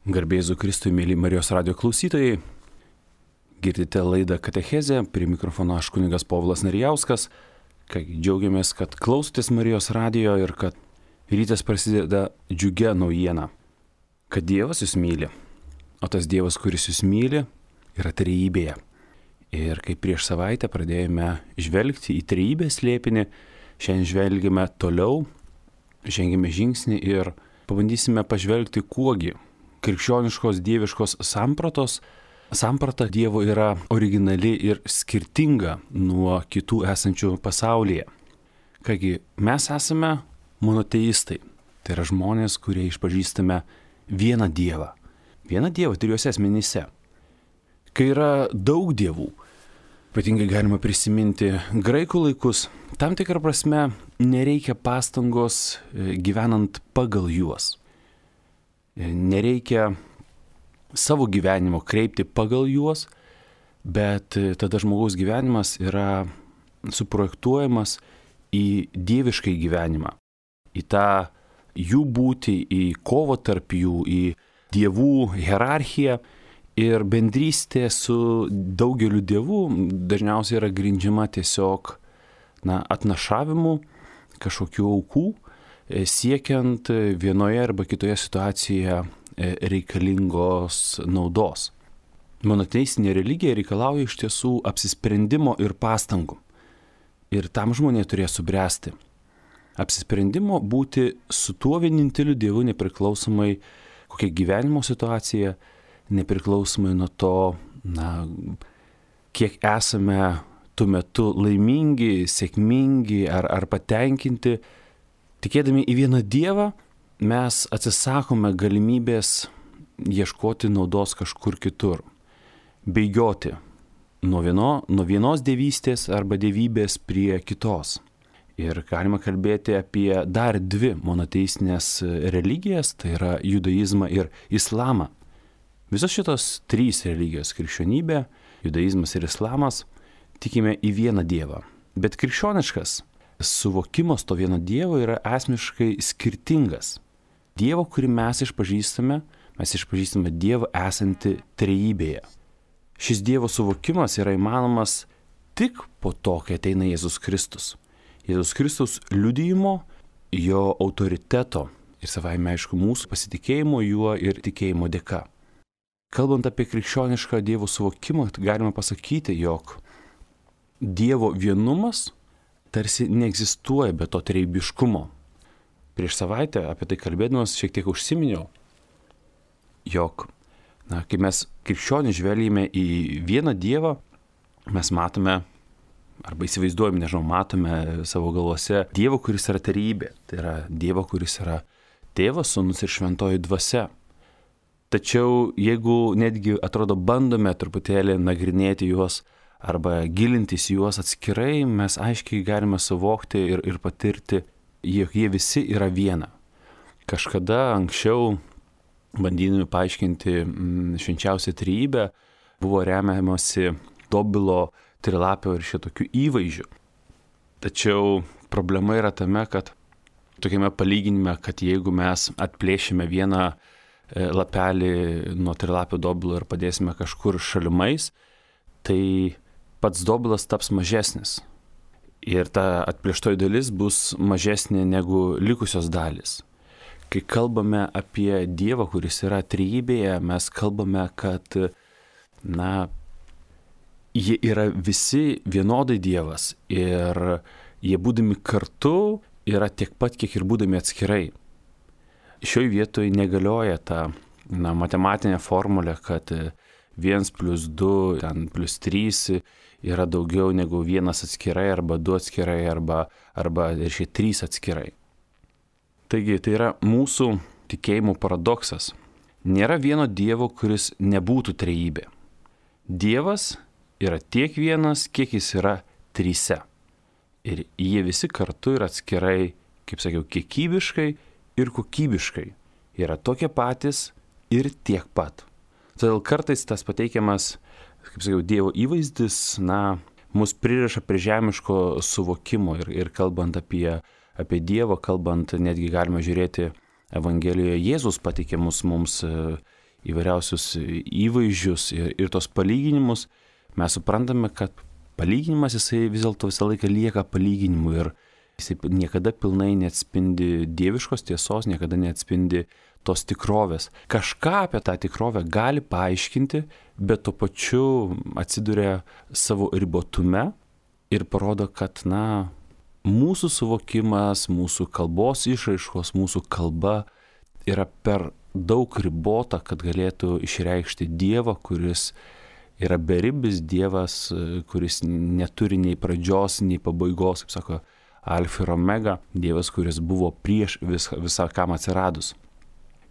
Garbė Jėzui Kristui, mėly Marijos radijo klausytojai. Girdite laidą Katechezė, prie mikrofono aš kunigas Povilas Narijauskas. Džiaugiamės, kad klausotės Marijos radijo ir kad rytas prasideda džiugia naujiena. Kad Dievas jūs myli, o tas Dievas, kuris jūs myli, yra trejybėje. Ir kai prieš savaitę pradėjome žvelgti į trejybės slėpinį, šiandien žvelgime toliau, žengėme žingsnį ir pabandysime pažvelgti, kuogi krikščioniškos dieviškos samprata Dievo yra originali ir skirtinga nuo kitų esančių pasaulyje. Kągi, mes esame monoteistai, tai yra žmonės, kurie išpažįstame vieną Dievą trijose asmenyse. Kai yra daug dievų, ypatingai galima prisiminti graikų laikus, tam tikrą prasme nereikia pastangos gyvenant pagal juos. Nereikia savo gyvenimo kreipti pagal juos, bet tada žmogaus gyvenimas yra suprojektuojamas į dieviškai gyvenimą, į tą jų būtį, į kovą tarp jų, į dievų hierarchiją. Ir bendrystė su daugeliu dievų dažniausiai yra grindžiama tiesiog atnašavimu kažkokių aukų, siekiant vienoje arba kitoje situacijoje reikalingos naudos. Monoteistinė religija reikalauja iš tiesų apsisprendimo ir pastangų. Ir tam žmonė turėjo subręsti. Apsisprendimo būti su tuo vieninteliu Dievu nepriklausomai kokia gyvenimo situacija, nepriklausomai nuo to, kiek esame tuo metu laimingi, sėkmingi ar patenkinti. Tikėdami į vieną Dievą, mes atsisakome galimybės ieškoti naudos kažkur kitur, bėgioti nuo vienos dievystės arba dievybės prie kitos. Ir galima kalbėti apie dar dvi monoteistinės religijas, tai yra judaizmą ir islamą. Visos šitos trys religijos - krikščionybė, judaizmas ir islamas - tikime į vieną Dievą. Bet krikščioniškas suvokimas to vieno Dievo yra esmiškai skirtingas. Dievo, kurį mes išpažįstame Dievą esantį trejybėje. Šis Dievo suvokimas yra įmanomas tik po to, kai ateina Jėzus Kristus. Jėzus Kristus liudijimo, jo autoriteto ir savaime aišku mūsų pasitikėjimo juo ir tikėjimo dėka. Kalbant apie krikščionišką Dievo suvokimą, galima pasakyti, jog Dievo vienumas tarsi neegzistuoja be to trejybiškumo. Prieš savaitę apie tai kalbėdamas šiek tiek užsiminiau, jog, kai mes krikščionys žvelgime į vieną Dievą, mes matome, arba įsivaizduojame, matome savo galvose Dievą, kuris yra trejybė. Tai yra Dievą, kuris yra Tėvas, Sūnus ir Šventoji Dvasia. Tačiau jeigu netgi atrodo bandome truputėlį nagrinėti juos arba gilintis juos atskirai, mes aiškiai galime suvokti ir patirti, jog jie visi yra viena. Kažkada anksčiau, bandydami paaiškinti švenčiausią trejybę, buvo remiamasi Dobilo trilapio ir šitokių įvaizdžių. Tačiau problema yra tame, kad tokiame palyginime, kad jeigu mes atplėšime vieną lapelį nuo trilapio dobilo ir padėsime kažkur šalimais, tai pats dobilas taps mažesnis. Ir ta atplėštoji dalis bus mažesnė negu likusios dalis. Kai kalbame apie Dievą, kuris yra trejybėje, mes kalbame, kad, jie yra visi vienodai Dievas ir jie būdami kartu yra tiek pat, kiek ir būdami atskirai. Šioje vietoje negalioja ta matematinė formulė, kad 1 + 2 + 3 yra daugiau negu 1 atskirai arba 2 atskirai arba ir šie 3 atskirai. Taigi tai yra mūsų tikėjimo paradoksas. Nėra vieno Dievo, kuris nebūtų trejybė. Dievas yra tiek vienas, kiek jis yra trise. Ir jie visi kartu ir atskirai, kaip sakiau, kiekybiškai ir kokybiškai yra tokie patys ir tiek pat. Todėl kartais tas pateikiamas, kaip sakiau, Dievo įvaizdis, mus pririša prie žemiško suvokimo ir kalbant apie Dievą, kalbant netgi galima žiūrėti Evangelijoje Jėzus pateikiamus mums įvairiausius įvaizdžius ir tos palyginimus, mes suprantame, kad palyginimas jisai vis dėlto visą laiką lieka palyginimu ir jisai niekada pilnai neatspindi dieviškos tiesos, niekada neatspindi tos tikrovės. Kažką apie tą tikrovę gali paaiškinti, bet tuo pačiu atsiduria savo ribotume ir parodo, kad, mūsų suvokimas, mūsų kalbos išraiškos, mūsų kalba yra per daug ribota, kad galėtų išreikšti Dievą, kuris yra beribis, Dievas, kuris neturi nei pradžios, nei pabaigos, kaip sako Alfa ir Omega, Dievas, kuris buvo prieš visą kam atsiradus.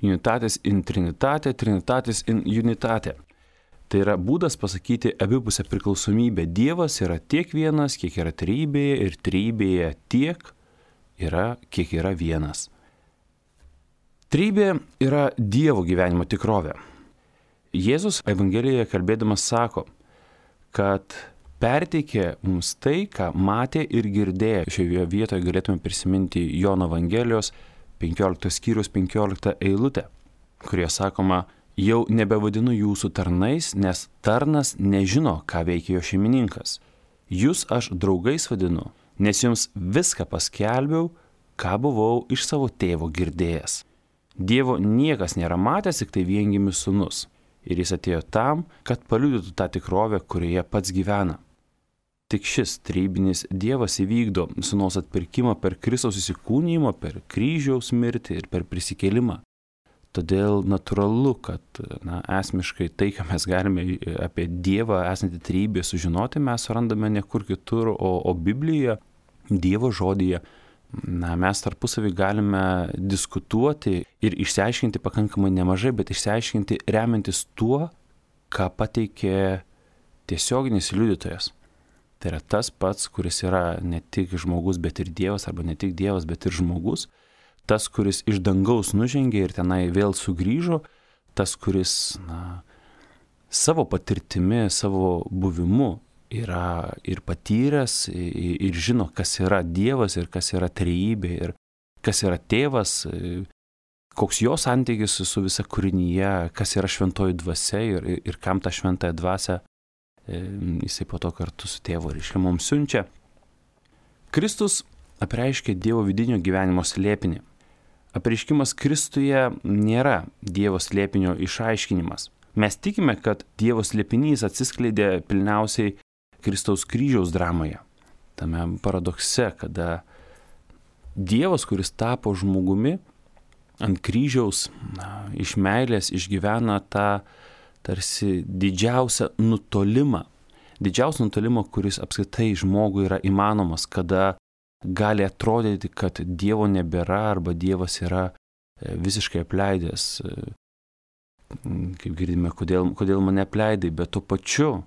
Unitatis in Trinitate, Trinitatis in Unitate. Tai yra būdas pasakyti abipusę priklausomybę. Dievas yra tiek vienas, kiek yra trejybėje, ir trejybėje tiek yra, kiek yra vienas. Trejybė yra Dievo gyvenimo tikrovė. Jėzus Evangelijoje kalbėdamas sako, kad perteikė mums tai, ką matė ir girdėjo. Šioje vietoje galėtume prisiminti Jono Evangelijos 15 skyrius 15 eilutę, kurie sakoma, jau nebevadinu jūsų tarnais, nes tarnas nežino, ką veikia jo šeimininkas. Jūs aš draugais vadinu, nes jums viską paskelbiau, ką buvau iš savo tėvo girdėjęs. Dievo niekas nėra matęs, tik tai viengimis sūnus. Ir jis atėjo tam, kad paliudytų tą tikrovę, kurioje pats gyvena. Tik šis trejybinis Dievas įvykdo sūnaus atpirkimą per Kristaus įsikūnijimą, per kryžiaus mirtį ir per prisikėlimą. Todėl natūralu, kad esmiškai tai, ką mes galime apie Dievą esantį trejybėje sužinoti, mes randame ne kur kitur, o Biblijoje, Dievo žodyje. Mes tarpusavį galime diskutuoti ir išsiaiškinti pakankamai nemažai, bet išsiaiškinti remiantis tuo, ką pateikė tiesioginis liudytojas. Tai yra tas pats, kuris yra ne tik žmogus, bet ir Dievas, arba ne tik Dievas, bet ir žmogus. Tas, kuris iš dangaus nužengė ir tenai vėl sugrįžo, tas, kuris savo patirtimi, savo buvimu yra ir patyręs, ir žino, kas yra Dievas ir kas yra trejybė, ir kas yra tėvas, koks jo santykis su visa kūrinyje, kas yra šventoji dvasia ir kam tą šventąją dvasią jisai po to kartu su tėvu reiškia mums siunčia. Kristus apreiškia Dievo vidinio gyvenimo slėpinį. Apreiškimas Kristuje nėra Dievo slėpinio išaiškinimas. Mes tikime, kad Dievo slėpinys atsiskleidė pilniausiai Kristaus kryžiaus dramoje. Tame paradokse, kada Dievas, kuris tapo žmogumi, ant kryžiaus iš meilės išgyvena tą tarsi didžiausią nutolimą, kuris apskritai žmogui yra įmanomas, kada gali atrodyti, kad Dievo nebėra arba Dievas yra visiškai apleidęs. Kaip girdime, kodėl mane apleidai, bet tuo pačiu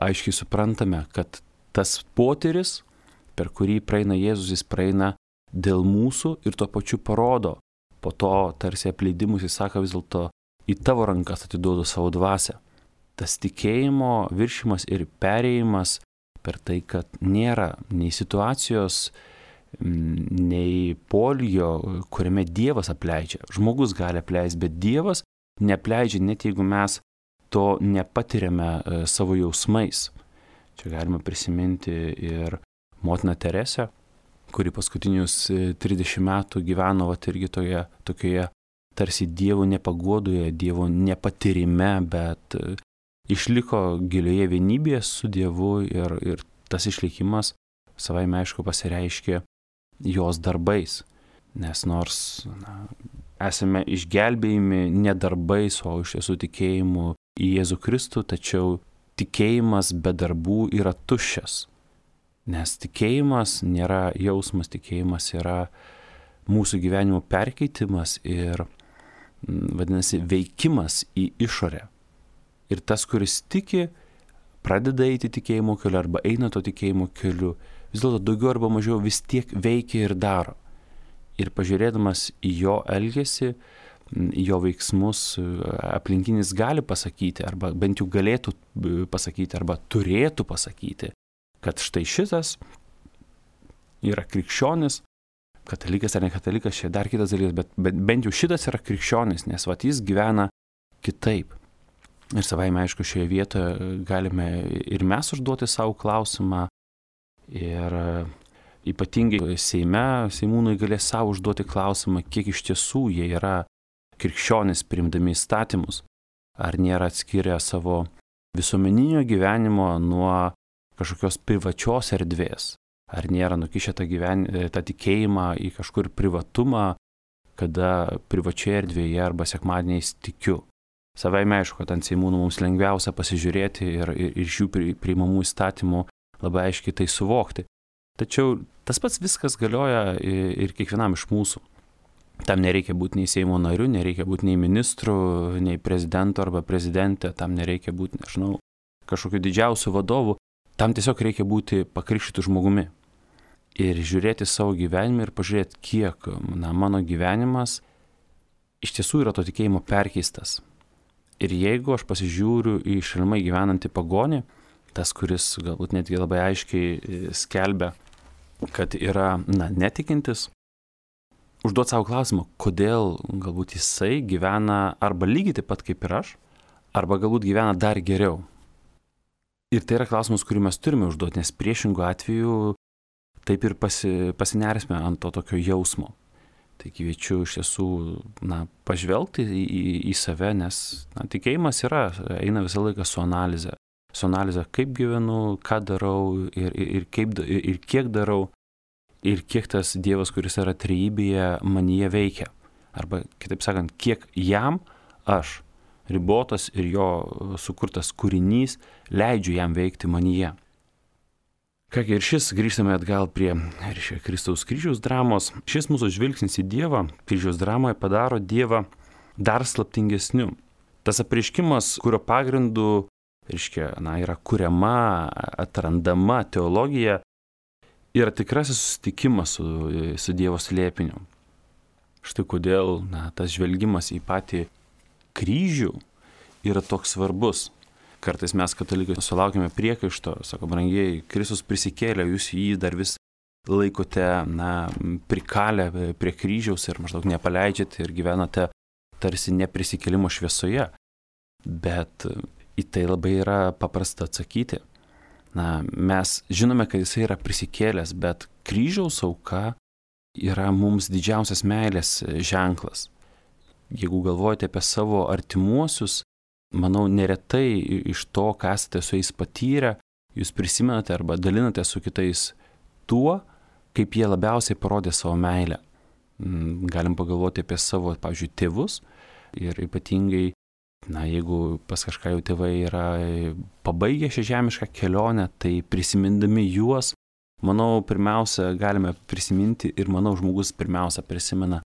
aiškiai suprantame, kad tas potyris, per kurį praeina Jėzus, jis praeina dėl mūsų ir tuo pačiu parodo. Po to tarsi apleidimus jis sako vis dėlto, į tavo rankas atiduodu savo dvasią. Tas tikėjimo viršimas ir perėjimas per tai, kad nėra nei situacijos, nei polio, kuriame Dievas apleidžia. Žmogus gali apleisti, bet Dievas neapleidžia, net jeigu mes to nepatiriame savo jausmais. Čia galima prisiminti ir motiną Teresę, kuri paskutinius 30 metų gyveno irgi tokioje tarsi Dievo nepaguodoje, Dievo nepatyrime, bet išliko gilioje vienybėje su Dievu ir tas išlikimas savaime aišku pasireiškė jos darbais. Nes nors esame išgelbėjami ne darbais, o iš tiesų tikėjimu į Jėzų Kristų, tačiau tikėjimas be darbų yra tuščias. Nes tikėjimas nėra jausmas, tikėjimas yra mūsų gyvenimo perkeitimas ir vadinasi veikimas į išorę. Ir tas, kuris tiki, pradeda eiti tikėjimo keliu arba eina to tikėjimo keliu, vis dėlto daugiau arba mažiau vis tiek veikia ir daro. Ir pažiūrėdamas į jo elgesį, jo veiksmus, aplinkinis gali pasakyti, arba bent jau galėtų pasakyti, arba turėtų pasakyti, kad štai šitas yra krikščionis, katalikas ar ne katalikas, čia dar kitas dalykas, bet bent jau šitas yra krikščionis, nes jis gyvena kitaip. Ir savaime, aišku, šioje vietoje galime ir mes užduoti savo klausimą, ir ypatingai Seimūnai galės savo užduoti klausimą, kiek iš tiesų jie yra krikščionys priimdami įstatymus, ar nėra atskirę savo visuomeninio gyvenimo nuo kažkokios privačios erdvės, ar nėra nukišę tą tikėjimą į kažkur privatumą, kada privačioje erdvėje arba sekmadieniais tikiu. Savaime aišku, kad ant Seimūnų mums lengviausia pasižiūrėti ir iš jų priimamų įstatymų labai aiškiai tai suvokti. Tačiau tas pats viskas galioja ir kiekvienam iš mūsų. Tam nereikia būti nei Seimo nariu, nereikia būti nei ministru, nei prezidentu arba prezidentė, tam nereikia būti, kažkokiu didžiausiu vadovu, tam tiesiog reikia būti pakrikštytu žmogumi. Ir žiūrėti savo gyvenimą ir pažiūrėti, kiek mano gyvenimas iš tiesų yra to tikėjimo perkeistas. Ir jeigu aš pasižiūriu į šalimai gyvenantį pagonį, tas, kuris galbūt netgi labai aiškiai skelbia, kad yra netikintis, užduoti savo klausimą, kodėl galbūt jisai gyvena arba lygiai taip pat kaip ir aš, arba galbūt gyvena dar geriau. Ir tai yra klausimas, kurį mes turime užduoti, nes priešingų atveju taip ir pasinersime ant to tokio jausmo. Tai kviečiu iš tiesų pažvelgti į save, nes tikėjimas eina visą laiką su analize. Su analize, kaip gyvenu, ką darau ir kiek darau, ir kiek tas Dievas, kuris yra trejybėje, manyje veikia. Arba, kitaip sakant, kiek jam aš, ribotas ir jo sukurtas kūrinys, leidžiu jam veikti manyje. Kągi, ir grįžtame atgal prie Kristaus kryžiaus dramos. Šis mūsų žvilgsnis į Dievą kryžiaus dramoje padaro Dievą dar slaptingesniu. Tas apreiškimas, kurio pagrindu yra kuriama, atrandama teologija, yra tikrasis susitikimas su Dievo slėpiniu. Štai kodėl tas žvelgimas į patį kryžių yra toks svarbus. Kartais mes, katalikai, sulaukime priekaišto, sako, brangieji, Kristus prisikėlė, jūs jį dar vis laikote prikalę prie kryžiaus ir maždaug nepaleidžiate ir gyvenate tarsi neprisikėlimo šviesoje. Bet į tai labai yra paprasta atsakyti. Mes žinome, kad jisai yra prisikėlęs, bet kryžiaus auka yra mums didžiausias meilės ženklas. Jeigu galvojate apie savo artimuosius, manau, neretai iš to, ką esate su jais patyrę, jūs prisimenate arba dalinate su kitais tuo, kaip jie labiausiai parodė savo meilę. Galim pagalvoti apie savo, pavyzdžiui, tėvus ir ypatingai, jeigu pas kažką jau tėvai yra pabaigę šią žemišką kelionę, tai prisimindami juos, manau, pirmiausia galime prisiminti ir manau, žmogus pirmiausia prisimena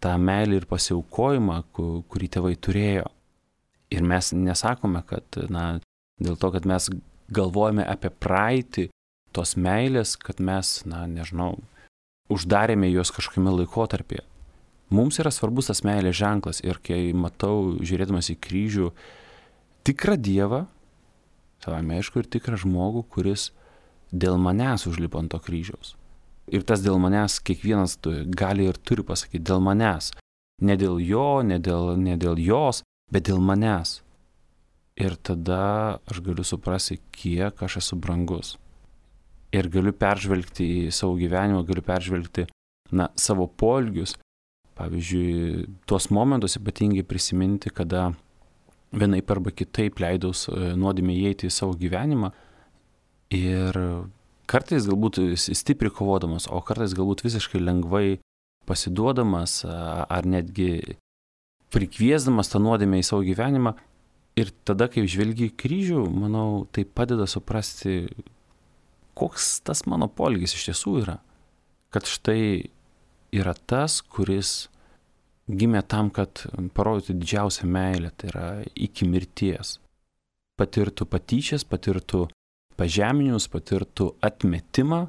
tą meilę ir pasiaukojimą, kurį tėvai turėjo. Ir mes nesakome, kad, dėl to, kad mes galvojame apie praeitį tos meilės, kad mes, uždarėme juos kažkokiame laikotarpyje. Mums yra svarbus tas meilės ženklas ir kai matau, žiūrėdamas į kryžių, tikrą Dievą, savame aišku, ir tikrą žmogų, kuris dėl manęs užlipo ant to kryžiaus. Ir tas dėl manęs kiekvienas gali ir turi pasakyti dėl manęs. Ne dėl jo, ne dėl jos, bet dėl manęs. Ir tada aš galiu suprasti, kiek aš esu brangus. Ir galiu peržvelgti į savo gyvenimą, galiu peržvelgti savo poelgius. Pavyzdžiui, tuos momentus ypatingai prisiminti, kada vienaip arba kitaip leidaus nuodėmei įeiti į savo gyvenimą. Ir kartais galbūt stipriai kovodamas, o kartais galbūt visiškai lengvai pasiduodamas ar netgi prikviesdamas tą nuodėmę į savo gyvenimą. Ir tada, kai žvelgi į kryžių, manau, tai padeda suprasti, koks tas mano poelgis iš tiesų yra. Kad štai yra tas, kuris gimė tam, kad parodytų didžiausią meilę, tai yra iki mirties. Patirtų patyčias, patirtų pažeminimus, patirtų atmetimą.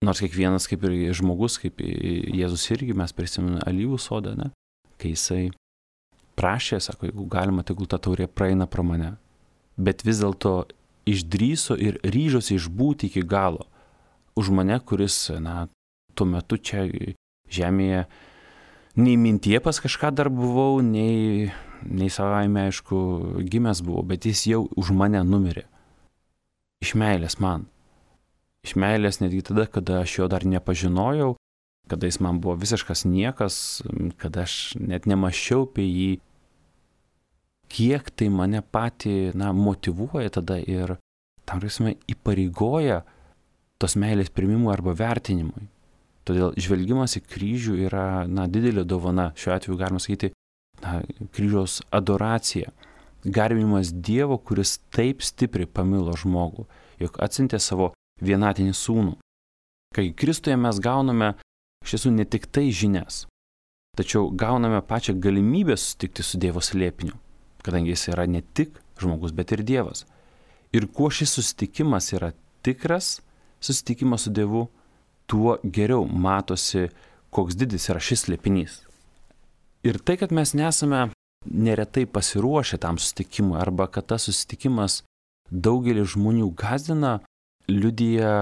Nors kiekvienas kaip ir žmogus, kaip Jėzus irgi, mes prisimename alyvų sodą, kai jisai prašė, sako, jeigu galima, tegul ta taurė praeina pro mane. Bet vis dėlto išdrįso ir ryžosi išbūti iki galo už mane, kuris, tuo metu čia žemėje nei mintie pas kažką dar buvau, nei nei savaime, aišku, gimęs buvo, bet jis jau už mane numirė. Iš meilės man. Iš meilės netgi tada, kada aš jo dar nepažinojau, kada jis man buvo visiškas niekas, kada aš net nemaščiau apie jį, kiek tai mane patį, motyvuoja tada ir tam prasme įpareigoja tos meilės priimimui arba vertinimui. Todėl žvelgimas į kryžių yra, didelė dovana, šiuo atveju galima sakyti, kryžiaus adoracija, garbinimas Dievo, kuris taip stipriai pamilo žmogų, jog atsiuntė savo vienatinį sūnų. Kai Kristuje mes gauname iš tiesų ne tik tai žinias, tačiau gauname pačią galimybę susitikti su Dievo slėpiniu, kadangi jis yra ne tik žmogus, bet ir Dievas. Ir kuo šis susitikimas yra tikras susitikimas su Dievu, tuo geriau matosi, koks didis yra šis slėpinys. Ir tai, kad mes nesame neretai pasiruošę tam susitikimui, arba kad tas susitikimas daugelį žmonių gąsdina, liudija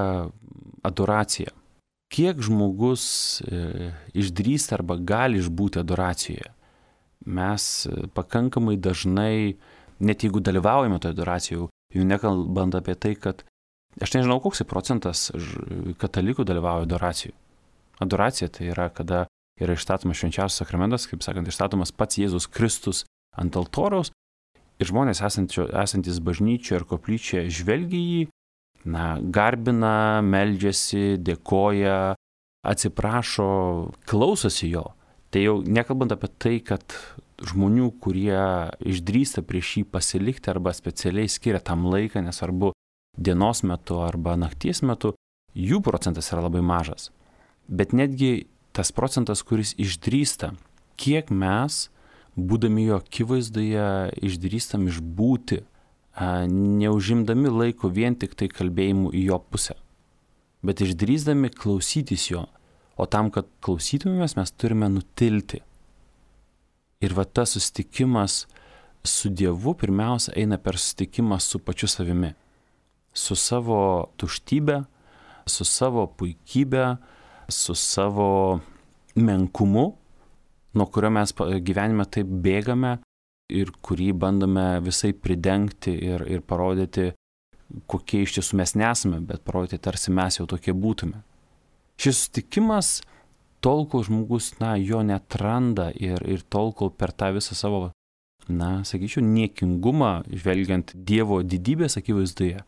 adoracija. Kiek žmogus išdrįsta arba gali išbūti adoracijoje? Mes pakankamai dažnai, net jeigu dalyvaujame toje adoracijoje, jau nekalbant apie tai, kad aš nežinau, koks procentas katalikų dalyvauja adoracijoje. Adoracija tai yra, kada yra išstatomas švenčiausias sakramentas, kaip sakant, išstatomas pats Jėzus Kristus ant altoriaus ir žmonės esantis bažnyčioje ir koplyčioje žvelgia jį, garbina, meldžiasi, dėkoja, atsiprašo, klausosi jo. Tai jau nekalbant apie tai, kad žmonių, kurie išdrįsta prieš jį pasilikti arba specialiai skiria tam laiką, nesvarbu dienos metu arba nakties metu, jų procentas yra labai mažas. Bet netgi tas procentas, kuris išdrįsta, kiek mes, būdami jo akivaizdoje, išdrįstam išbūti, neužimdami laiko vien tik tai kalbėjimu į jo pusę, bet išdrįsdami klausytis jo. O tam, kad klausytumėmės, mes turime nutilti. Ir tas susitikimas su Dievu pirmiausia eina per susitikimą su pačiu savimi. Su savo tuštybė, su savo puikybė, su savo menkumu, nuo kurio mes gyvenime taip bėgame ir kurį bandome visai pridengti ir parodyti, kokie iš tiesų mes nesame, bet parodyti, tarsi mes jau tokie būtume. Šis susitikimas, tol, kol žmogus, jo netranda ir tol, kol per tą visą savo, sakyčiau, niekingumą, žvelgiant Dievo didybės akivaizdoje,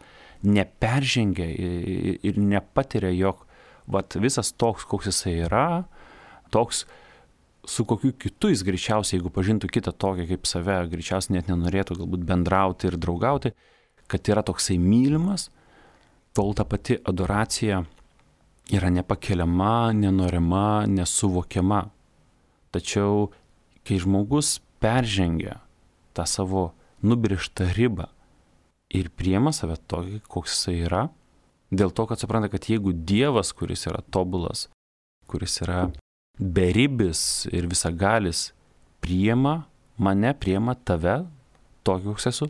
neperžengia ir nepatiria, jog visas toks, koks jisai yra, toks, su kokiu kitu jis greičiausiai, jeigu pažintų kitą tokį kaip save, greičiausiai net nenorėtų galbūt bendrauti ir draugauti, kad yra toksai mylimas, tol ta pati adoracija yra nepakeliama, nenorima, nesuvokiama. Tačiau, kai žmogus peržengia tą savo nubrėžtą ribą ir priima save tokį, koks jisai yra, dėl to, kad supranta, kad jeigu Dievas, kuris yra tobulas, kuris yra beribis ir visagalis, priima mane, priima tave, tokį, koks esu,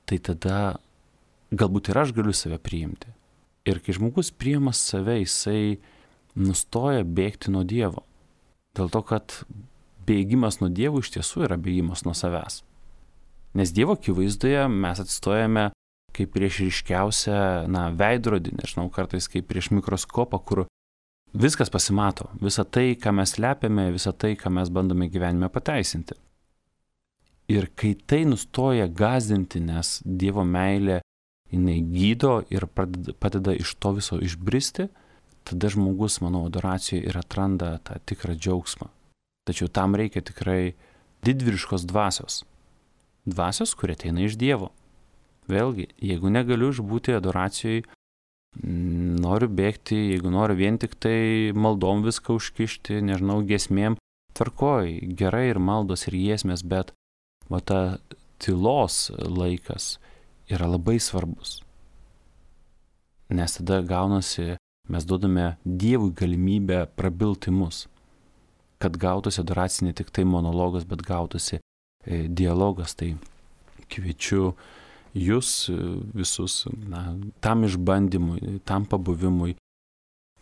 tai tada galbūt ir aš galiu save priimti. Ir kai žmogus priima save, jisai nustoja bėgti nuo Dievo. Dėl to, kad bėgimas nuo Dievo iš tiesų yra bėgimas nuo savęs. Nes Dievo akivaizdoje mes atstojame kaip prieš ryškiausią, veidrodį, nežinau, kartais kaip prieš mikroskopą, kur viskas pasimato. Visa tai, ką mes slepiame, visa tai, ką mes bandome gyvenime pateisinti. Ir kai tai nustoja gąsdinti, nes Dievo meilė jinai gydo ir padeda iš to viso išbristi, tada žmogus, manau, adoracijoje ir atranda tą tikrą džiaugsmą. Tačiau tam reikia tikrai didvyriškos dvasios. Dvasios, kurie ateina iš Dievo. Vėlgi, jeigu negaliu išbūti adoracijoje, noriu bėgti, jeigu noriu vien tik tai maldom viską užkišti, nežinau, giesmėm, tvarkoj, gerai ir maldos ir giesmės, bet ta tylos laikas yra labai svarbus. Nes tada gaunasi, mes duodame Dievui galimybę prabilti mus, kad gautųsi adoracija ne tik tai monologas, bet gautųsi dialogas. Tai kviečiu jūs visus tam išbandymui, tam pabuvimui.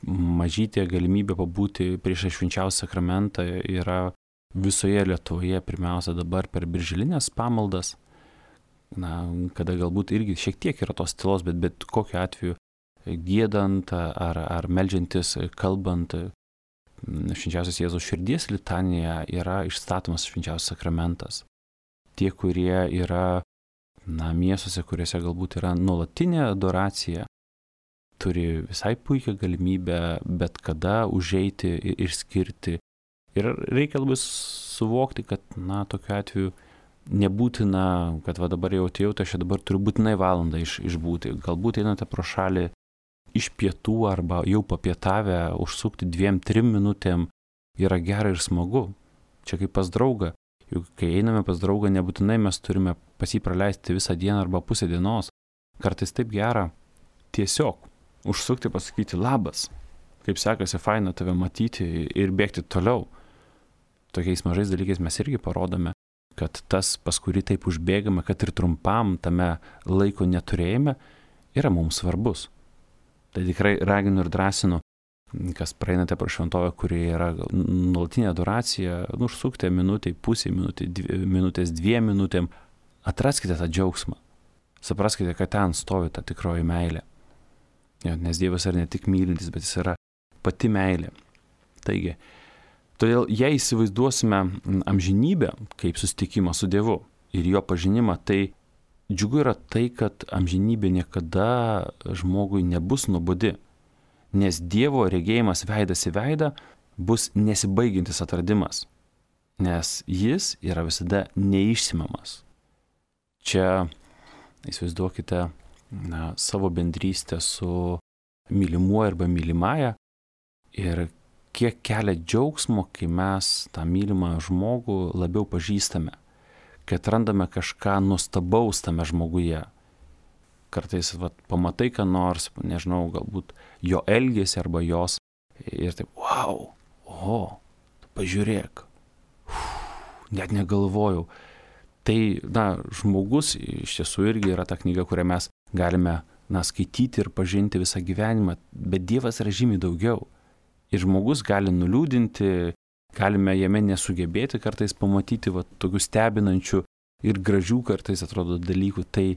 Mažytė galimybė pabūti prieš švenčiausią sakramentą yra visoje Lietuvoje, pirmiausia dabar per birželinės pamaldas, kada galbūt irgi šiek tiek yra tos tylos, bet kokiu atveju giedant ar meldžiantis, kalbant, švenčiausios Jėzaus širdies litanija yra išstatomas švenčiausias sakramentas. Tie, kurie yra miestuose, kuriuose galbūt yra nuolatinė adoracija, turi visai puikią galimybę bet kada užeiti ir skirti. Ir reikia labai suvokti, kad tokiu atveju nebūtina, kad dabar jau atėjau, tai aš dabar turiu būtinai valandą išbūti. Galbūt einate pro šalį iš pietų arba jau papietavę, užsukti 2-3 minutėm yra gera ir smagu. Čia kaip pas draugą. Juk kai einame pas draugą, nebūtinai mes turime pas jį praleisti visą dieną arba pusę dienos. Kartais taip gera tiesiog užsukti, pasakyti labas, kaip sekasi, faina tave matyti ir bėgti toliau. Tokiais mažais dalykais mes irgi parodome, kad tas, pas kurį taip užbėgame, kad ir trumpam tame laiko neturėjime, yra mums svarbus. Tai tikrai raginu ir drąsinu, kas praeinate pro šventovę, kuri yra nuolatinė adoracija, užsukite minutę, pusę minutės, 2 minutėm, atraskite tą džiaugsmą. Supraskite, kad ten stovi ta tikroji meilė. Nes Dievas yra ne tik mylintis, bet jis yra pati meilė. Taigi, todėl jei įsivaizduosime amžinybę kaip susitikimą su Dievu ir jo pažinimą, tai džiugu yra tai, kad amžinybė niekada žmogui nebus nuobodi, nes Dievo regėjimas veidas į veidą bus nesibaigiantis atradimas, nes jis yra visada neišsemiamas. Čia įsivaizduokite savo bendrystę su mylimuoju arba mylimąja ir kiek kelia džiaugsmo, kai mes tą mylimą žmogų labiau pažįstame, kad randame kažką nuostabaus tame žmoguje. Kartais pamatai, ką nors, nežinau, galbūt jo elgesį arba jos ir taip, wow, pažiūrėk, net negalvojau. Tai, žmogus iš tiesų irgi yra ta knyga, kurią mes galime, skaityti ir pažinti visą gyvenimą, bet Dievas yra žymiai daugiau. Ir žmogus gali nuliūdinti, galime jame nesugebėti kartais pamatyti tokių stebinančių ir gražių kartais atrodo dalykų. Tai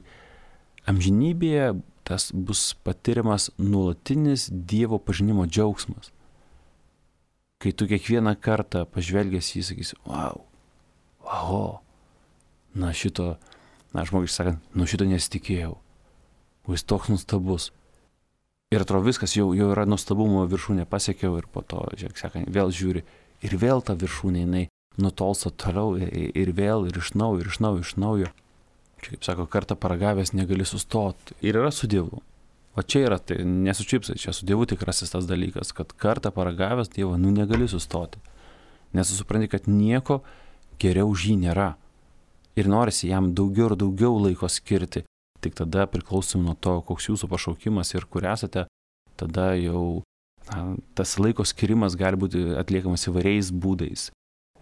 amžinybėje tas bus patiriamas nuolatinis Dievo pažinimo džiaugsmas. Kai tu kiekvieną kartą pažvelgęs jį sakysi, šito, žmogiškai sakant, šito nesitikėjau. Jis toks nuostabus. Ir atrodo viskas, jau yra nuostabumo viršūnė pasiekiau ir po to, vėl žiūri. Ir vėl ta viršūnė, jinai nutolsta toliau ir vėl, ir iš naujo. Čia, kaip sako, kartą paragavęs negali sustoti. Ir yra su Dievu. O čia yra, tai nesučipsai, čia su Dievu tikrasis tas dalykas, kad kartą paragavęs Dievo, negali sustoti. Nes supranti, kad nieko geriau už jį nėra. Ir norisi jam daugiau ir daugiau laiko skirti. Tik tada priklausom nuo to, koks jūsų pašaukimas ir kur esate, tada jau tas laiko skirimas gali būti atliekamas įvairiais būdais.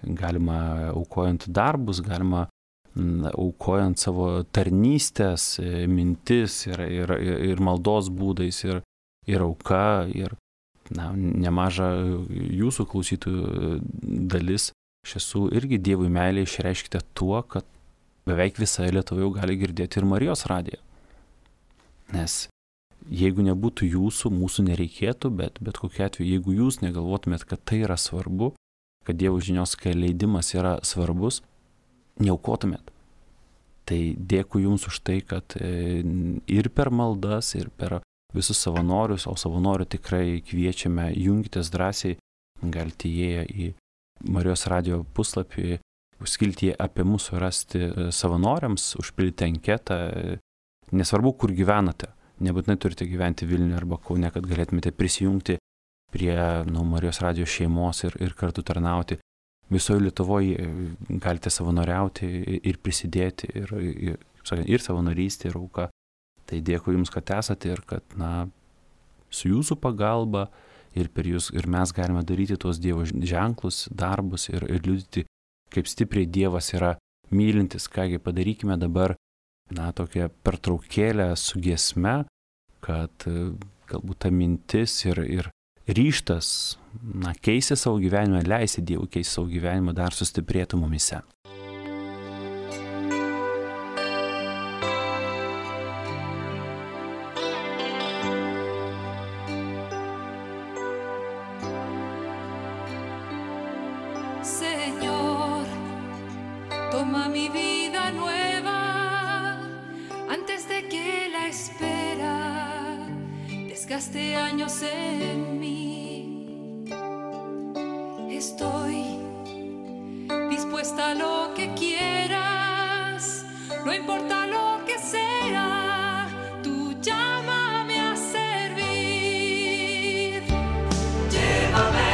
Galima aukojant darbus, galima aukojant savo tarnystės, mintis ir maldos būdais ir auka. Ir nemaža jūsų klausytojų dalis iš tiesų irgi Dievui meilę išreiškite tuo, kad beveik visą Lietuvą jau gali girdėti ir Marijos radiją. Nes jeigu nebūtų jūsų, mūsų nereikėtų, bet kokiu atveju, jeigu jūs negalvotumėt, kad tai yra svarbu, kad Dievo žinios leidimas yra svarbus, neaukotumėt. Tai dėkui jums už tai, kad ir per maldas, ir per visus savanorius, o savanorių tikrai kviečiame, jungitės drąsiai, galite įėję į Marijos radijo puslapį, skiltyje apie mūsų rasti savanoriams, užpildyti anketą, nesvarbu, kur gyvenate, nebūtinai turite gyventi Vilniuje arba Kaune, kad galėtumėte prisijungti prie Marijos radijo šeimos ir kartu tarnauti. Visoje Lietuvoje galite savanoriauti ir prisidėti, ir savanorystė, ir auka. Tai dėkui jums, kad esate ir kad, su jūsų pagalba ir per jūs, ir mes galime daryti tuos Dievo ženklus, darbus ir liudyti, kaip stipriai Dievas yra mylintis. Kągi padarykime dabar, tokią pertraukėlę su giesme, kad galbūt ta mintis ir ryžtas, keisti savo gyvenimą, leisti Dievui keisti savo gyvenimą, dar sustiprėtų mumise. Señor, toma mi vida nueva antes de que la espera desgaste años en mí. Estoy dispuesta a lo que quieras, no importa lo que sea, tú llámame a servir. Llévame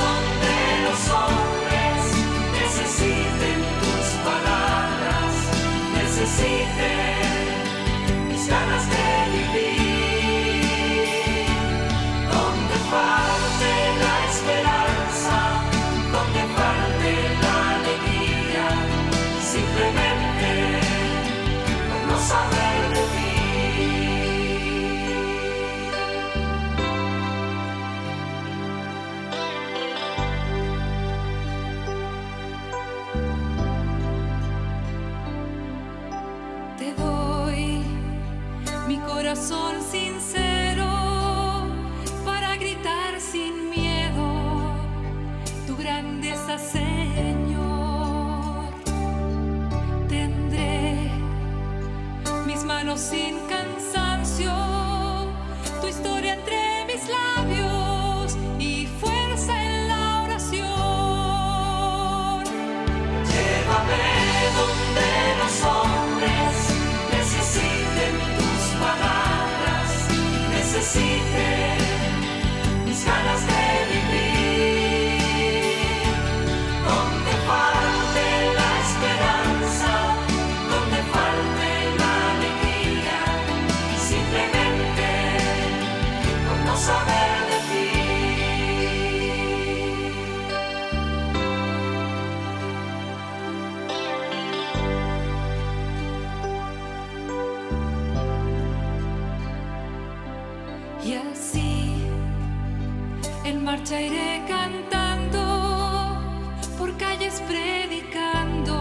donde los hombres necesiten tus palabras, necesiten mis ganas de vivir. Donde falte la esperanza, donde falte la alegría, simplemente por no saber de ti. Te doy mi corazón sincero para gritar sin miedo tu grandeza, Señor. Tendré mis manos sin cansancio, tu historia entre mis labios y fuerza en la oración. Llévame donde los hombres necesiten tus palabras, necesiten mis ganas de vivir. Donde falte la esperanza, donde falte la alegría, simplemente por no saber de ti. Y así en marcha iré cantando, por calles predicando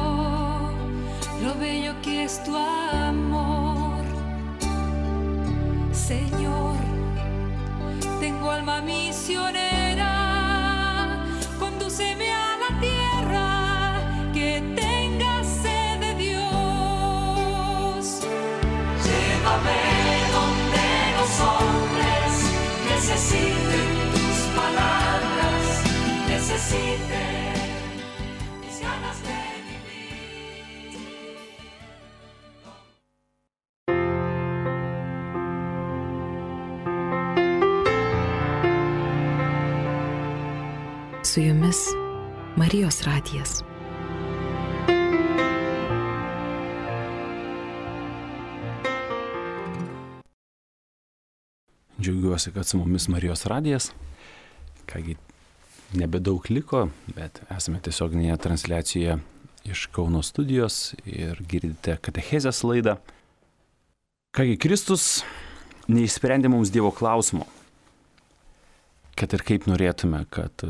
lo bello que es tu amor. Señor, tengo alma misionera, condúceme a la tierra que tenga sed de Dios. Llévame donde los hombres necesiten tus palabras, necesiten mis ganas de vivir. Su jumis Marijos radijas. Džiaugiuosi, kad su mumis Marijos radijas. Kągi, nebedaug liko, bet esame tiesioginėje transliacijoje iš Kauno studijos ir girdite katechezės laidą. Kągi, Kristus neišsprendė mums Dievo klausimo. Kad ir kaip norėtume, kad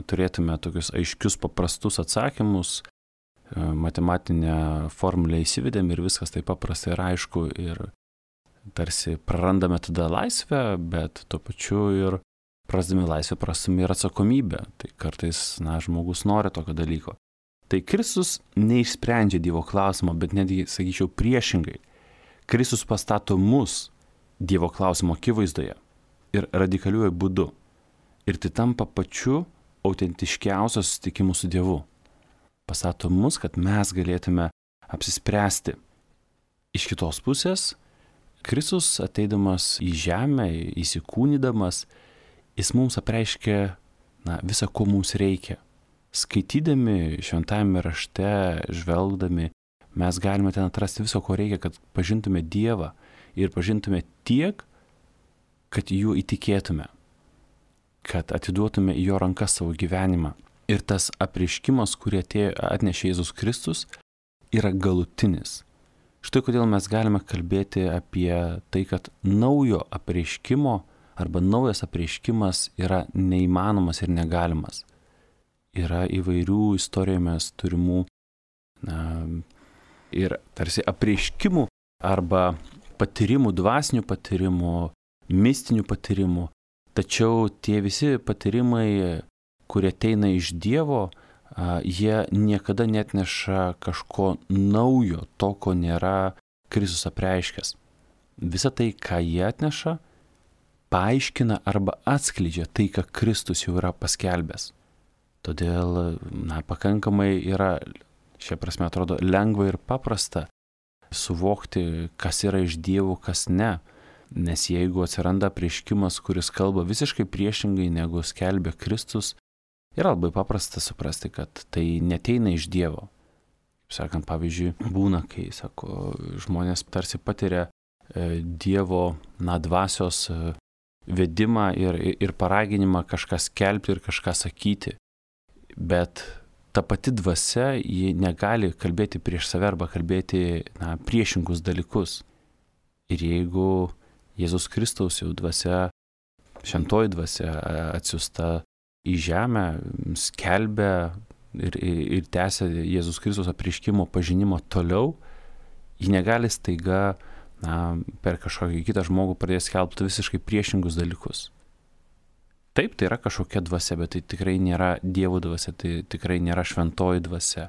turėtume tokius aiškius, paprastus atsakymus, matematinę formulę įsivedėm ir viskas taip paprasta ir aišku ir tarsi prarandame tada laisvę, bet tuo pačiu ir prarasdami laisvę prarasdami ir atsakomybę. Tai kartais, žmogus nori tokio dalyko. Tai Kristus neišsprendžia Dievo klausimo, bet netgi, sakyčiau, priešingai. Kristus pastato mus Dievo klausimo akivaizdoje ir radikaliuoju būdu. Ir tai tampa pačiu autentiškiausiu susitikimu su Dievu. Pastato mus, kad mes galėtume apsispręsti. Iš kitos pusės, Kristus ateidamas į žemę, įsikūnydamas, jis mums apreiškia visą, ko mums reikia. Skaitydami šventajame rašte, žvelgdami, mes galime ten atrasti viso, ko reikia, kad pažintume Dievą ir pažintume tiek, kad juo įtikėtume, kad atiduotume į jo rankas savo gyvenimą. Ir tas apreiškimas, kurį atnešė Jėzus Kristus, yra galutinis. Štai kodėl mes galime kalbėti apie tai, kad naujo apreiškimo arba naujas apreiškimas yra neįmanomas ir negalimas. Yra įvairių istorijoje mes turimų ir tarsi apreiškimų arba patyrimų, dvasinių patyrimų, mistinių patyrimų. Tačiau tie visi patyrimai, kurie ateina iš Dievo, jie niekada netneša kažko naujo, to, ko nėra Kristus apreiškęs. Visa tai, ką jie atneša, paaiškina arba atskleidžia tai, ką Kristus jau yra paskelbęs. Todėl, pakankamai yra, šia prasme atrodo, lengva ir paprasta suvokti, kas yra iš Dievo, kas ne. Nes jeigu atsiranda apreiškimas, kuris kalba visiškai priešingai negu skelbia Kristus, yra labai paprasta suprasti, kad tai neteina iš Dievo. Sakant, pavyzdžiui, būna, kai, sako, žmonės tarsi patiria Dievo, dvasios vedimą ir paraginimą kažką skelbti ir kažką sakyti. Bet ta pati dvasia, ji negali kalbėti prieš save arba kalbėti priešingus dalykus. Ir jeigu Jėzus Kristaus jau dvasia, šventoji dvasia atsiųsta į žemę, skelbia ir tęsia Jėzus Kristaus apreiškimo pažinimo toliau, ji negali staiga per kažkokį kitą žmogų pradės skelbti visiškai priešingus dalykus. Taip, tai yra kažkokia dvasia, bet tai tikrai nėra Dievo dvasia, tai tikrai nėra šventoji dvasia.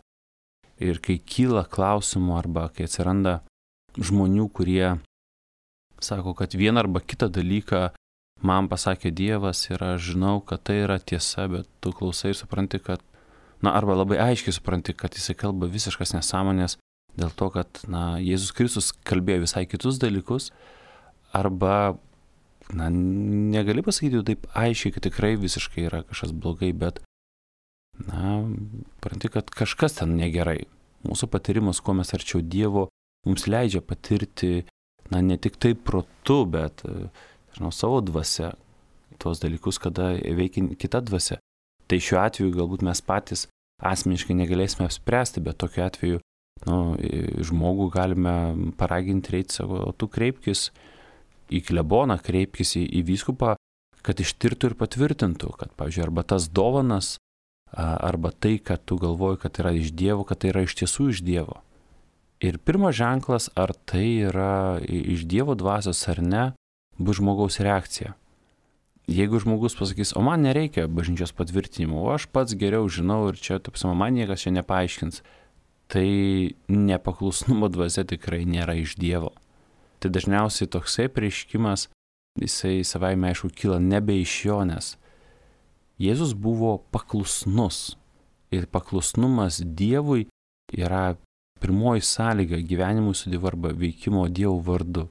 Ir kai kyla klausimų arba kai atsiranda žmonių, kurie sako, kad vieną arba kitą dalyką man pasakė Dievas ir aš žinau, kad tai yra tiesa, bet tu klausai ir supranti, kad, arba labai aiškiai supranti, kad jisai kalba visiškas nesąmonės dėl to, kad, Jėzus Kristus kalbėjo visai kitus dalykus, arba, negali pasakyti taip aiškiai, kad tikrai visiškai yra kažkas blogai, bet, supranti, kad kažkas ten negerai. Mūsų patyrimas, kuo mes arčiau Dievo, mums leidžia patirti, ne tik tai protu, bet savo dvasia, tuos dalykus, kada veikia kita dvasia. Tai šiuo atveju galbūt mes patys asmeniškai negalėsime apspręsti, bet tokiu atveju žmogų galime paraginti, reiti savo, tu kreipkis į kleboną, kreipkis į vyskupą, kad ištirtų ir patvirtintų, kad, pavyzdžiui, arba tas dovanas, arba tai, kad tu galvoji, kad yra iš Dievo, kad tai yra iš tiesų iš Dievo. Ir pirmas ženklas, ar tai yra iš Dievo dvasios ar ne, bus žmogaus reakcija. Jeigu žmogus pasakys, o man nereikia bažnyčios patvirtinimo, o aš pats geriau žinau ir čia, man niekas čia nepaaiškins, tai nepaklusnumo dvasia tikrai nėra iš Dievo. Tai dažniausiai toksai prieškimas, jisai savaime aišku kyla nebe iš jo, nes Jėzus buvo paklusnus. Ir paklusnumas Dievui yra pirmoji sąlyga gyvenimui su Dievu arba veikimo Dievo vardu.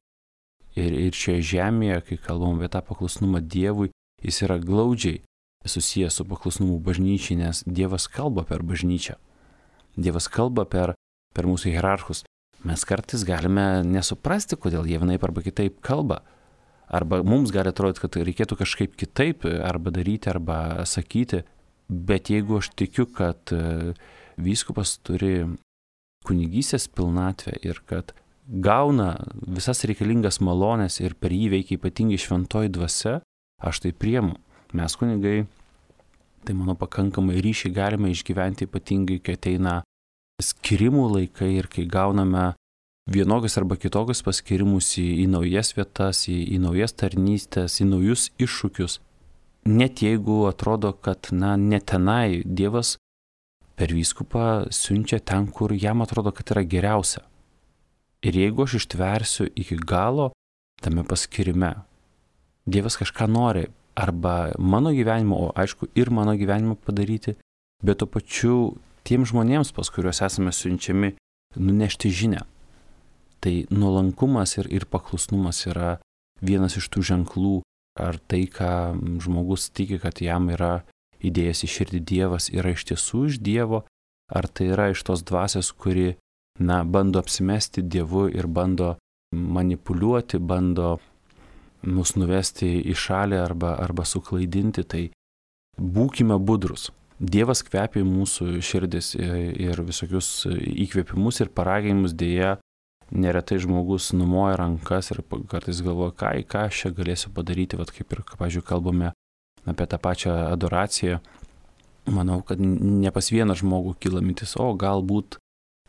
Ir šioje žemėje, kai kalbam apie tą paklusnumą Dievui, jis yra glaudžiai susijęs su paklusnumu bažnyčiai, nes Dievas kalba per bažnyčią. Dievas kalba per mūsų hierarchus. Mes kartais galime nesuprasti, kodėl jie vienaip arba kitaip kalba. Arba mums gali atrodyti, kad reikėtų kažkaip kitaip arba daryti, arba sakyti. Bet jeigu aš tikiu, kad vyskupas turi kunigystės pilnatvę ir kad gauna visas reikalingas malones ir per jį veikia ypatingai šventoji dvasia, aš tai priemu. Mes kunigai, tai mano pakankamai ryšiai galime išgyventi ypatingai, kai ateina skirimų laikai ir kai gauname vienokius arba kitokius paskirimus į naujas vietas, į naujas tarnystės, į naujus iššūkius. Net jeigu atrodo, kad ne tenai Dievas per vyskupą siunčia ten, kur jam atrodo, kad yra geriausia. Ir jeigu aš ištversiu iki galo tame paskirime, Dievas kažką nori arba mano gyvenimo, o aišku ir mano gyvenimo padaryti, bet tuo pačiu tiem žmonėms, pas kuriuos esame siunčiami, nunešti žinią. Tai nuolankumas ir paklusnumas yra vienas iš tų ženklų, ar tai, ką žmogus tiki, kad jam yra įdėjęs į širdį Dievas, yra iš tiesų iš Dievo, ar tai yra iš tos dvasios, kuri, bando apsimesti Dievu ir bando manipuliuoti, bando mus nuvesti į šalį arba suklaidinti, tai būkime budrus. Dievas kvepia mūsų širdis ir visokius įkvėpimus ir paraginimus dėja neretai žmogus numoja rankas ir kartais galvoja, ką aš čia galėsiu padaryti, vat kaip ir, pavyzdžiui, kalbame apie tą pačią adoraciją. Manau, kad ne pas vieną žmogų kyla mintis, o galbūt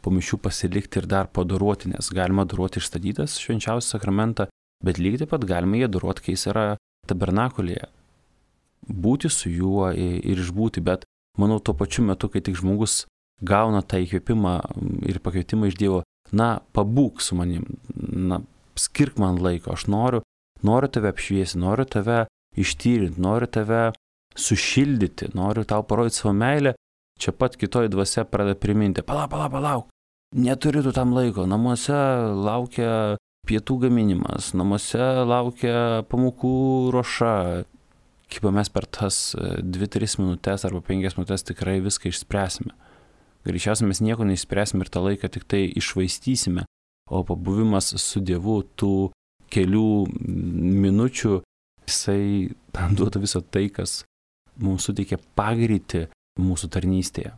po mišių pasilikti ir dar padoruoti, nes galima adoruoti išstatytas švenčiausią sakramentą, bet lygiai taip pat galima jį adoruoti, kai jis yra tabernakulėje. Būti su juo ir išbūti, bet manau, tuo pačiu metu, kai tik žmogus gauna tą įkvėpimą ir pakvietimą iš Dievo, pabūk su manim, skirk man laiko, aš noriu tave apšviesti, noriu tave ištyrinti, noriu tave sušildyti, noriu tau parodyti savo meilę, čia pat kitoj dvasia pradeda priminti, palauk, neturi tu tam laiko, namuose laukia pietų gaminimas, namuose laukia pamokų ruoša. Kaip mes per tas 2-3 minutės arba 5 minutės tikrai viską išspręsime. Greičiausiai mes nieko neišspręsime ir tą laiką tik tai išvaistysime, o pabuvimas su Dievu tų kelių minučių, jisai duoda visą tai, kas mums suteikia pagreitį mūsų tarnystėje.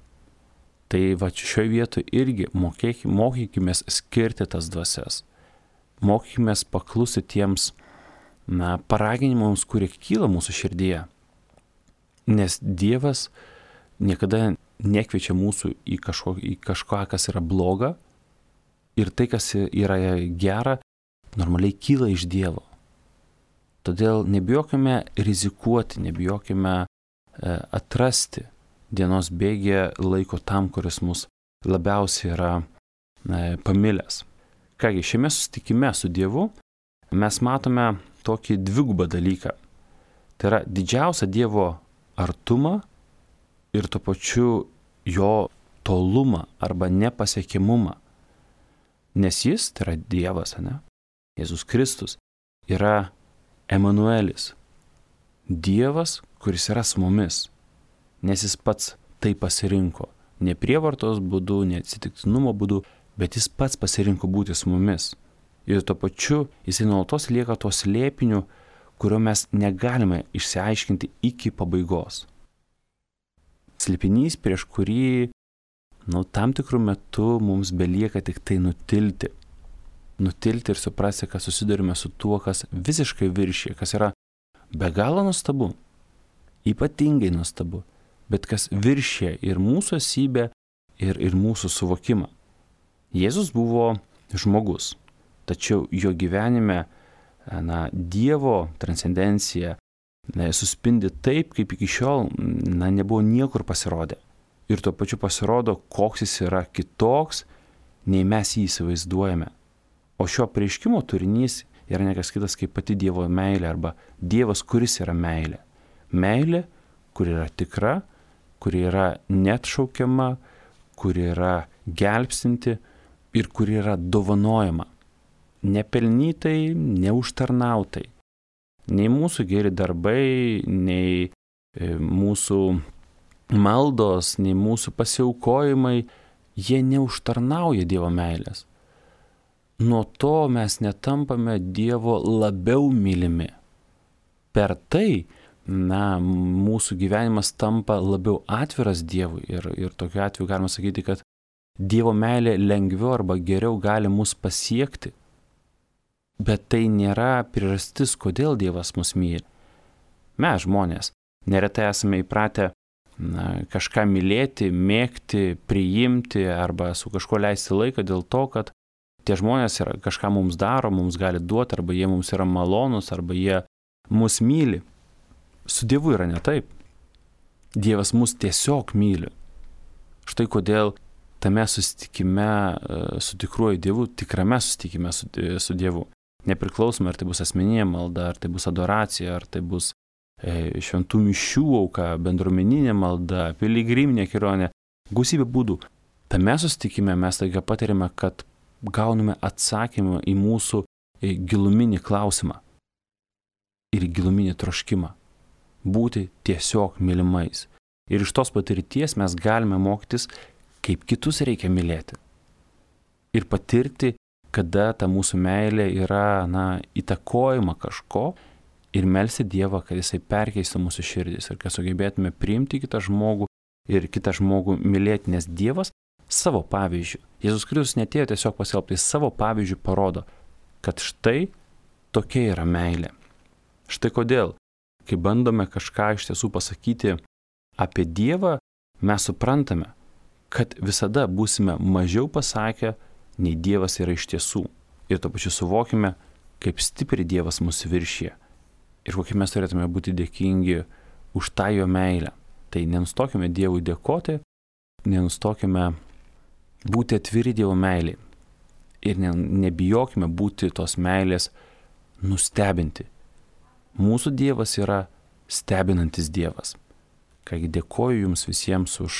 Tai va šioje vietoje irgi mokykimės skirti tas dvasias. Mokykimės paklusti tiems paraginimams, kurie kyla mūsų širdyje. Nes Dievas niekada nekviečia mūsų į kažką, kas yra bloga, ir tai, kas yra gera, normaliai kyla iš Dievo. Todėl nebijokime rizikuoti, nebijokime atrasti dienos bėgyje laiko tam, kuris mus labiausiai yra pamilęs. Kągi, šiame susitikime su Dievu mes matome tokį dvigubą dalyką. Tai yra didžiausią Dievo artumą ir tuo pačiu jo tolumą arba nepasiekimumą. Nes jis, tai yra Dievas, Jėzus Kristus, yra Emanuelis. Dievas, kuris yra su mumis. Nes jis pats tai pasirinko. Ne prievartos būdu, ne atsitiktinumo būdu, bet jis pats pasirinko būti su mumis. Ir tuo pačiu jisai nuolatos lieka tuo slėpiniu, kurio mes negalime išsiaiškinti iki pabaigos. Slėpinys, prieš kurį tam tikrų metų mums belieka tik tai nutilti. Nutilti ir suprasti, kad susidurime su tuo, kas visiškai viršyje, kas yra be galo nuostabu, ypatingai nuostabu, bet kas viršyje ir mūsų esybę, ir mūsų suvokimą. Jėzus buvo žmogus, tačiau jo gyvenime Dievo transcendencija suspindi taip, kaip iki šiol nebuvo niekur pasirodę. Ir tuo pačiu pasirodo, koks jis yra kitoks, nei mes jį įsivaizduojame. O šio apreiškimo turinys yra nekas kitas kaip pati Dievo meilė arba Dievas, kuris yra meilė. Meilė, kuri yra tikra, kuri yra neatšaukiama, kuri yra gelbstinti ir kuri yra dovanojama. Nepelnytai, neužtarnautai. Nei mūsų geri darbai, nei mūsų maldos, nei mūsų pasiaukojimai, jie neužtarnauja Dievo meilės. Nuo to mes netampame Dievo labiau mylimi. Per tai, mūsų gyvenimas tampa labiau atviras Dievui ir tokiu atveju galima sakyti, kad Dievo meilė lengviau arba geriau gali mus pasiekti. Bet tai nėra priežastis, kodėl Dievas mus myli. Mes žmonės neretai esame įpratę kažką mylėti, mėgti, priimti arba su kažkuo leisti laiką dėl to, kad tie žmonės kažką mums daro, mums gali duoti, arba jie mums yra malonus, arba jie mus myli. Su Dievu yra ne taip. Dievas mus tiesiog myli. Štai kodėl tame susitikime su tikruoju Dievu, tikrame susitikime su Dievu, nepriklausomai ar tai bus asmeninė malda, ar tai bus adoracija, ar tai bus šventų mišių auka, bendruomeninė malda, piligriminė kelionė, gausybė būdų. Tame susitikime mes taiga patiriame, kad gauname atsakymą į mūsų giluminį klausimą ir giluminį troškimą būti tiesiog mylimais. Ir iš tos patirties mes galime mokytis, kaip kitus reikia mylėti. Ir patirti, kada ta mūsų meilė yra įtakojama kažko ir melsti Dievą, kad jisai perkeistų mūsų širdis ir kad sugebėtume priimti kitą žmogų ir kitą žmogų mylėti, nes Dievas savo pavyzdžių. Jėzus Kristus netėjo tiesiog paskelbti, savo pavyzdžių parodo, kad štai tokia yra meilė. Štai kodėl, kai bandome kažką iš tiesų pasakyti apie Dievą, mes suprantame, kad visada būsime mažiau pasakę, nei Dievas yra iš tiesų. Ir to pačiu suvokime, kaip stipriai Dievas mus viršyje. Ir kokie mes turėtume būti dėkingi už tą jo meilę. Tai nenustokime Dievui dėkoti, nenustokime būti atviri Dievo meiliai. Ir nebijokime būti tos meilės nustebinti. Mūsų Dievas yra stebinantis Dievas. Kągi dėkoju jums visiems už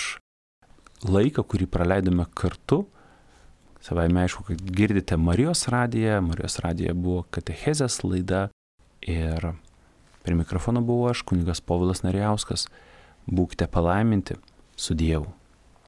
laiką, kurį praleidome kartu. Savaime aišku, kad girdite Marijos radiją. Marijos radija buvo katechezės laida. Ir prie mikrofono buvau aš, kunigas Povilas Narijauskas. Būkite palaiminti su Dievu.